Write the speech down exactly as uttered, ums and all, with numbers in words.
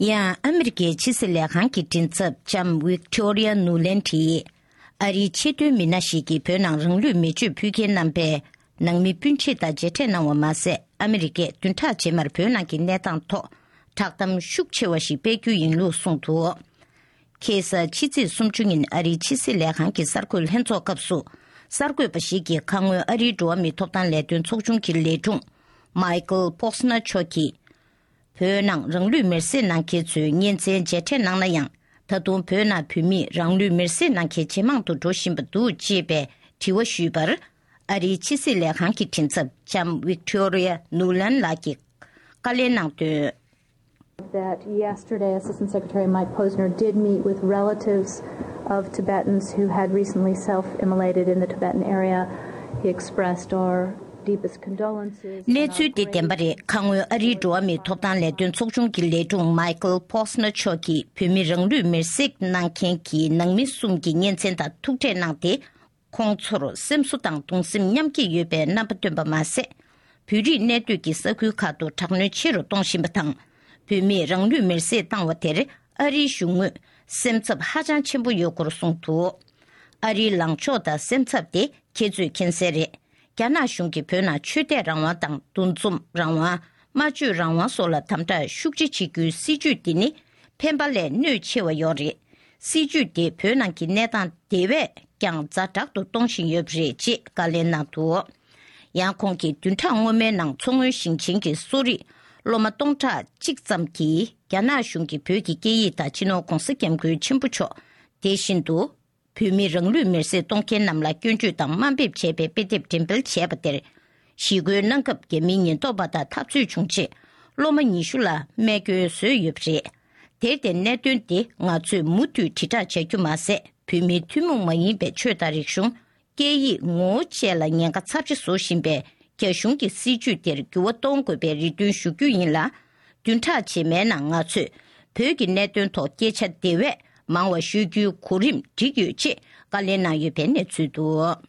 ཡང་ཨ་མི་རི་ཀའི་ཕྱི་སྲིད་ལས་ཁང་གི་མགྲིན་ཚབ་ལྕམ་Victoria Nuland་གྱིས། ཨ་རིའི་ཆེས་མཐོའི་མི་སྣ་ཞིག་གིས་བོད་ནང་རང་ལུས་མེ་མཆོད་ཕུལ་མཁན་རྣམ་པས་ནང་མི་སྤུན་མཆེད་དང་མཇལ་འཕྲད་གནང་བ་མ་ཟད། ཨ་མི་རི་ཀས་བདུན་ཕྲག་རྗེས་མར་བོད་ནང་གི་གནས་སྟངས་ཐོག་བསྒྲགས་གཏམ་ཤུགས་ཆེ་བ་ཞིག་སྤེལ་རྒྱུ་ཡིན་ལུགས་གསུངས་འདུག་ཁ་སང་ཕྱི་ཚེས་སུམ་ཅུ་ཉིན་ཨ་རིའི་ཕྱི་སྲིད་ལས་ཁང་གི་གསར་འགོད་ལྷན་ཚོགས་སྐབས་སུ། གསར་འགོད་པ་ཞིག་གིས་ཁ་སྔོན་ཨ་རིའི་འགྲོ་བ་མིའི་ཐོབ་ཐང་ལས་དོན་ཚོགས་ཆུང་གི་ལས་དྲུང་Michael Posner་མཆོག་གིས། བོད་ནང་རང་ལུས་མེར་སྲེག་གནང་མཁན་ཚོའི་གཉེན་ཚན་མཇལ་འཕྲད་གནང་ན་ཡང་། ད་དུང་བོད་ནང་བོད་མིས་རང་ལུས་མེར་སྲེག་གནང་མཁན་ཇེ་མང་དུ་འགྲོ་བཞིན་པ་འདུག་ཅེས་པའི་དྲི་བ་ཞུས་པར། ཨ་རིའི་ཕྱི་སྲིད་ལས་ཁང་གི་མགྲིན་ཚབ་ལྕམ་Victoria Nuland་ལགས་ཀྱིས་བཀའ་ལན་གནང་དོན། That yesterday, Assistant Secretary Mike Posner did meet with relatives of Tibetans who had recently self immolated in the Tibetan area. He expressed our deepest condolences. གནས་ཚུལ་དེ་བདེན་པ་རེད། ཁ་སྔོན་ཨ་རིའི་འགྲོ་བ་མིའི་ཐོབ་ཐང་ལས་དོན་ཚོགས་ཆུང་གི་ལས་དྲུང་Michael Posner་མཆོག་གིས་བོད་མི་རང་ལུས་མེར་སྲེག་གནང་མཁན་གྱི་ནང་མི་གསུམ་གྱི་གཉེན་ཚན་དང་ཐུག་འཕྲད་གནང་སྟེ། ཁོང་ཚོར་སེམས་གསོ་དང་གདུང་སེམས་མཉམ་སྐྱེད་ཡོད་པའི་རྣམ་པ་བཏོན་པ་མ་ཟད། བོད་རིགས་གནས་སྡོད་ཀྱི་ས་ཁུལ་ཁག་ཏུ་དྲག་གནོན་ཆེ་རུ་གཏོང་བཞིན་པ་དང་། བོད་མིས་རང་ལུས་མེར་སྲེག་བཏང་བ་དེར་ཨ་རིའི་གཞུང་ངོས་སེམས་འཚབ་ཧ་ཅང་ཆེན་པོ་ཡོད་སྐོར་གསུངས་འདུག་ཨ་རིའི་ལངས་ཕྱོགས་དང་སེམས་འཚབ་དེ་ཁྱེད་ཚོས་མཁྱེན་གསལ་རེད། རྒྱ་ནག་གཞུང་གིས་བོད་ནང་ཆོས་དད་རང་དབང་དང་འདུ་འཛོམས་རང་དབང་། སྨྲ་བརྗོད་རང་དབང་སོགས་ལ་དམ་དྲག་ཤུགས་ཆེ་བྱེད་རྒྱུའི་སྲིད་ཇུས་འདི་ནི་ཕན་པ་ལས་གནོད་ཆེ་བ་ཡོད་རེད། སྲིད་ཇུས་དེ་བོད་ནང་གི་གནས་སྟངས་དེ་བས་ཀྱང་ཛ་དྲག་ཏུ་གཏོང་བཞིན་ཡོད་པ་རེད་ཅེས་བཀའ་ལན་གནང་འདུག་ཡང་ཁོང་གིས་བདུན་ཕྲག་སྔོན་མའི་ནང་མཚོ་སྔོན་ཞིང་ཆེན་གྱི་གསོ་རིག་སློབ་མ་སྟོང་ཕྲག་གཅིག་ཙམ་གྱིས་རྒྱ་ནག་གཞུང་གིས་བོད་ཀྱི་སྐད་ཡིག་དང་སྤྱི་ནོར་༧གོང་ས་༧སྐྱབས་མགོན་ཆེན་པོ་མཆོག་དེ་བཞིན་དུ། བོད་མི་རང་ལུས་མེར་སྲེག་གཏོང་མཁན་རྣམས་ལ་སྐྱོན་བརྗོད་དང་དམའ་འབེབས་བྱས་པའི་དཔེ་དེབ་འགྲེམས་སྤེལ་བྱས་པ་དེར། ཞི་རྒོལ་གནང་སྐབས་རྒྱ་མིའི་ཉེན་རྟོག་པ་དང་འཐབ་རྩོད་བྱུང་རྗེས། སློབ་མ་ཉི་ཤུ་ལ་རྨས་སྐྱོན་བཟོས་ཡོད་པ་རེད། དེར་བརྟེན་གནད་དོན་དེ་ང་ཚོས་མུ་མཐུད་དྲིལ་བསྒྲགས་བྱ་རྒྱུ་མ་ཟད། བོད་མིའི་ཐུན་མོང་མ་ཡིན་པའི་ཆོས་དང་རིག་གཞུང་། སྐད་ཡིག་ངོ་བོ་བཅས་ལ་ཉེན་ཁ་ཚབས་ཆེ་བཟོ་བཞིན་པའི་རྒྱ་གཞུང་གི་སྲིད་ཇུས་དེར་འགྱུར་བ་གཏོང་དགོས་པའི་རེ་འདུན་ཞུ་རྒྱུ་ཡིན་ལ། བདུན་ཕྲག་རྗེས་མའི་ནང་ང་ཚོས་བོད་ཀྱི་གནད་དོན་ཐོག་སྐད་ཆ་དེ་བས་མང་བ་ཤོད་རྒྱུའི་གོ་རིམ་བསྒྲིགས་ཡོད་ཅེས་བཀའ་ལན་གནང་ཡོད་པའི་གནས་ཚུལ་འདུག